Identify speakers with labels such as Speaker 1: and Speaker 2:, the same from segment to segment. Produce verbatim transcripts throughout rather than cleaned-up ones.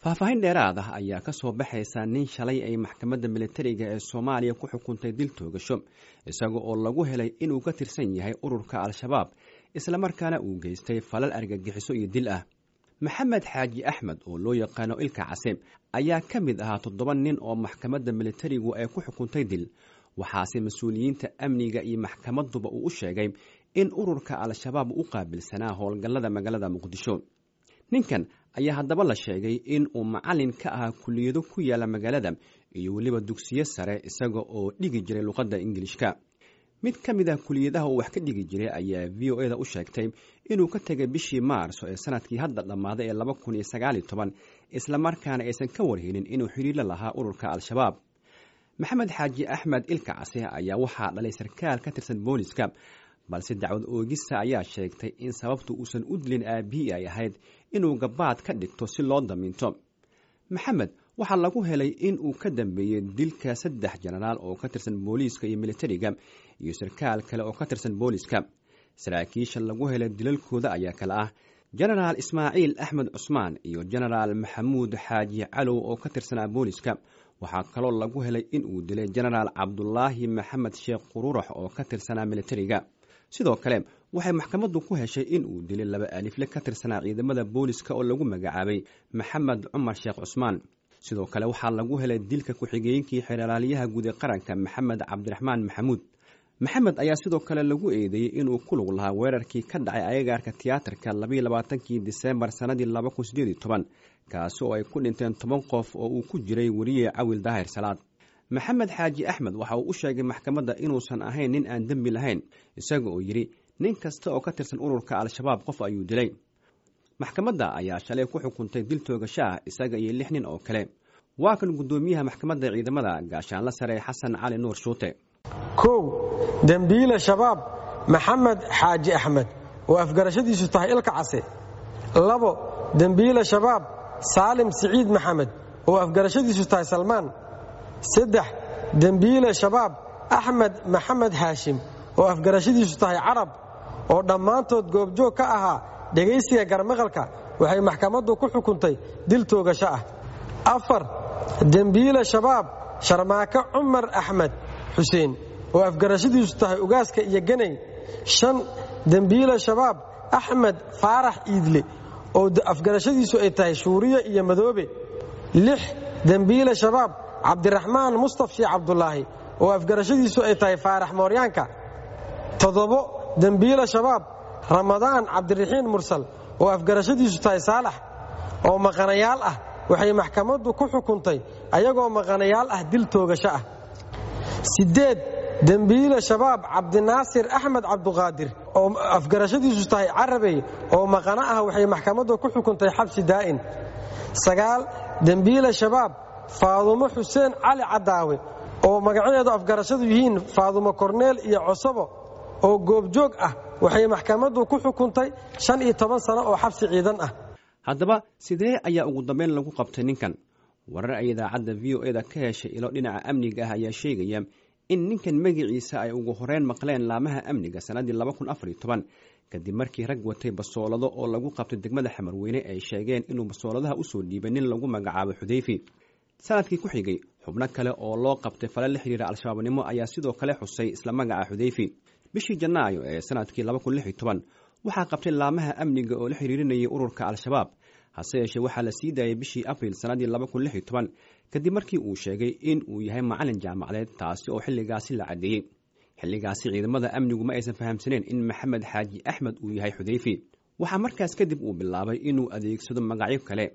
Speaker 1: Faahfaahin dheeraad ah ayaa ka soo baxaysa nin shalay ay maxkamadda militariga ee Soomaaliya ku xukuntay dil toogasho, isaga oo lagu helay inuu ka tirsan yahay ururka Al-Shabaab, islamarkaana uu geystay falal argagixiso iyo dil ah. Maxamed Xaaji Axmed oo loo yaqaano Ilka Case ayaa ka mid ahaa toddoba nin oo maxkamadda militarigu ay ku xukuntay dil, waxaase mas-uuliyiinta amniga iyo maxkamadduba uu u sheegay in ururka Al-Shabaab u qaabilsanaa howlgallada magaalada Muqdisho. Ninkan ayaa haddaba la sheegay in uu macallin ka ahaa kulliyado ku yaala magaalada iyo weliba dugsiyo sare, isaga oo dhigi jiray luqadda Ingilishka. Mid ka mid ah kuliyadaha uu wax ka dhigi jiray ayaa V O E da u sheegtay inuu ka tegay bishii Maarso ee sanadkii hadda dhammaaday ee laba kun iyo sagaal iyo toban, islamarkaana aysan ka warhelin inuu xiriirla lahaa ururka Al-Shabaab. Maxamed Xaaji Axmed Ilka Case ayaa waxaa dhalay sarkaal ka tirsan booliska, balse dacwad oogista ayaa sheegtay in sababtu uusan u dilin aabihii ay ahayd inuu gabaad ka dhigto si loo damiinto. Maxamed waxaa lagu helay in uu ka dambeeyey dilka saddex jenaraal oo ka tirsan booliiska iyo militariga iyo sarkaal kale oo ka tirsan booliiska. Saraakiisha lagu helay dilalkooda ayaa kale ah Jenaraal Ismaaciil Axmed Cusmaan iyo Jenaraal Maxamuud Xaaji Calow oo ka tirsanaa booliiska. Waxaa kaloo lagu helay in uu dilay Jenaraal Cabdulaahi Maxamed Sheekh Qururax oo ka tirsanaa militariga. Sidoo kale waxay maxkamaddu ku heshay in uu dilay laba alifle ka tirsanaa ciidamada booliska oo lagu magacaabay Maxamed Cumar Sheekh Cusmaan. Sidoo kale waxaa lagu helay dilka ku-xigeenkii xeraalyaha guud ee qaranka Maxamed Cabdiraxmaan Maxamuud. Maxamed ayaa sidoo kale lagu eedeeyey inuu ku lug lahaa weerarkii ka dhacay agagaarka tiyaatarka labayo labaatankii Diseembar sanadii laba kun sideed iyo toban, kaasi oo ay ku dhinteen toban qof oo uu ku jiray weriye Cawil Daahir Salaad. Maxamed Xaaji Axmed waxa uu u sheegay maxkamadda inuusan ahayn nin aan dembi lahayn, isaga oo yidhi nin kasta oo ka tirsan ururka Al-Shabaab qof ayuu dilay. Maxkamadda ayaa shalay ku xukuntay dil toogasho ah isaga iyo lix nin oo kale. Waa kan guddoomiyaha maxkamadda ciidamada gaashaanla sare Xasan Cali Nuur Shuute.
Speaker 2: Kow, dembiile Shabaab Maxamed Xaaji Axmed oo afgarashadiisu tahay Ilka Case. Labo, dembiile Shabaab Saalim Siciid Maxamed oo afgarashadiisu tahay Salmaan. Saddex, dembiile Shabaab Axmed Maxamed Haashim oo afgarashadiisu tahay Carab, oo dhammaantood goobjoog ka ahaa dhegaysiga garmaqalka, waxay maxkamaddu ku xukuntay dil toogasho ah. Afar, dembiile Shabaab Sharmaake Cumar Axmed Xuseen oo afgarashadiisu tahay Ugaaska iyo Ganay. Shan, dembiile Shabaab Axmed Faarax Iidle oo afgarashadiisu ay tahay Shuuriye iyo Madoobe. Lix, dembiile Shabaab Cabdiraxmaan Mustaf Sheekh Cabdulaahi oo afgarashadiisu ay tahay Faarax Mooryaanka. Toddobo, dembiile Shabaab Ramadaan Cabdiraxiin Mursal oo afgarashadiisu tahay Saalax oo maqanayaal ah, waxay maxkamaddu ku xukuntay ayagoo maqanayaal ah dil toogasho ah. Sideed, dembiile Shabaab Cabdinaasir Axmed Cabduqaadir oo afgarashadiisu tahay Carabey oo maqano ah, waxay maxkamaddu ku xukuntay xabsi daa'in. Sagaal, dembiile Shabaab Faadumo Xuseen Cali Cadaawe oo magacadeedu afgarashadu yihiin Faadumo Korneel iyo Cosobo oo goobjoog ah, waxay maxkamaddu ku xukuntay shan iyo toban sano oo xabsi ciidan ah.
Speaker 1: Haddaba sidee ayaa ugu dambeyn lagu qabtay ninkan? Warar ay idaacadda V O E da ka heshay ilo dhinaca amniga ah ayaa sheegaya in ninkan magaciisa ay ugu horeyn maqleen laamaha amniga sanadii laba kun afar iyo toban, kadib markii rag watay basoolado oo lagu qabtay degmada Xamarweyne ay sheegeen inuu basooladaha usoo dhiibay nin lagu magacaabo Xudeyfi. Sanadkii ku xigay xubno kale oo loo qabtay falal la xiriira Al-Shabaabnimo ayaa sidoo kale xusay isla magaca Xudeyfi. Bishii Janaayo ee sanadkii laba kun lix iyo toban waxaa qabtay laamaha amniga oo la xiriirinayay ururka Al-Shabaab, hase yeeshee waxaa la sii daayay bishii Abriil sanadii laba kun lix iyo toban kadib markii uu sheegay in uu yahay macallin jaamacadeed, taasi oo xilligaasi la caddeeyey. Xilligaasi ciidamada amnigu ma aysan fahamsaneen in Maxamed Xaaji Axmed uu yahay Xudeyfi. Waxaa markaas kadib uu bilaabay inuu adeegsado magacyo kale.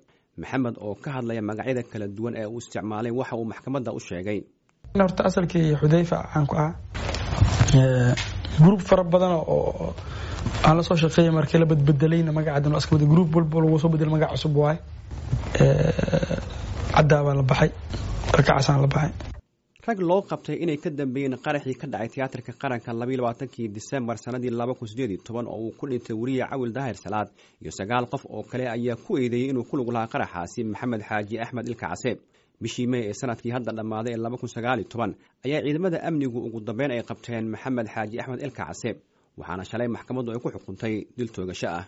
Speaker 1: Maxamed oo ka hadlaya magacyada kala duwan ee uu isticmaalay waxa uu maxkamadda u sheegay.
Speaker 3: Horta asalkii Xudeyfa caan ku ah gruub fara badan oo aan la soo shaqeeyay markii la badbedelayna magacadan waa iska bedel, gruub walba lagu soo bedel magac cusub waaye. Caddaa baa la baxay, Ilkacasaan la baxay.
Speaker 1: Rag loo qabtay inay ka dambeeyeen qaraxii ka dhacay tiyaatarka qaranka labayo labaatankii Diseembar sanadii laba kun sideed iyo toban oo uu ku dhintay weriye Cawil Daahir Salaad iyo sagaal qof oo kale ayaa ku eedeeyey inuu ku lug lahaa qaraxaasi Maxamed Xaaji Axmed Ilka Case. Bishii May ee sanadkii hadda dhammaaday ee laba kun sagaal iyo toban ayaa ciidamada amnigu ugu dambeyn ay qabteen Maxamed Xaaji Axmed Ilka Case, waxaana shalay maxkamaddu ay ku xukuntay dil toogasho ah.